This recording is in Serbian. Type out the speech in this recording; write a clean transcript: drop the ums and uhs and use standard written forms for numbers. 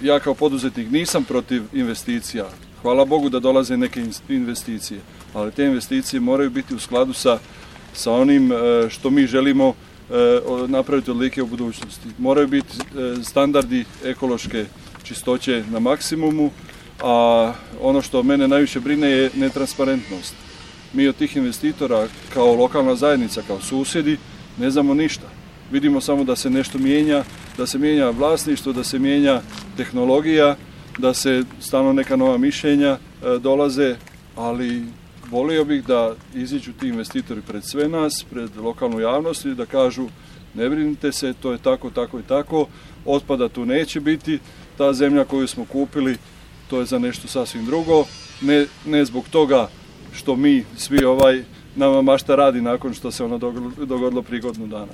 ja kao poduzetnik nisam protiv investicija. Hvala Bogu da dolaze neke investicije, ali te investicije moraju biti u skladu sa onim što mi želimo napraviti od Like u budućnosti. Moraju biti standardi ekološke čistoće na maksimumu, a ono što mene najviše brine je netransparentnost. Mi od tih investitora kao lokalna zajednica, kao susjedi, ne znamo ništa. Vidimo samo da se nešto mijenja, da se mijenja vlasništvo, da se mijenja tehnologija, da se stalno neka nova mišljenja dolaze, ali volio bih da iziđu ti investitori pred sve nas, pred lokalnu javnost i da kažu ne brinite se, to je tako, tako i tako, otpada tu neće biti, ta zemlja koju smo kupili, to je za nešto sasvim drugo, ne zbog toga što mi svi nama mašta radi nakon što se ono dogodilo prije godinu dana.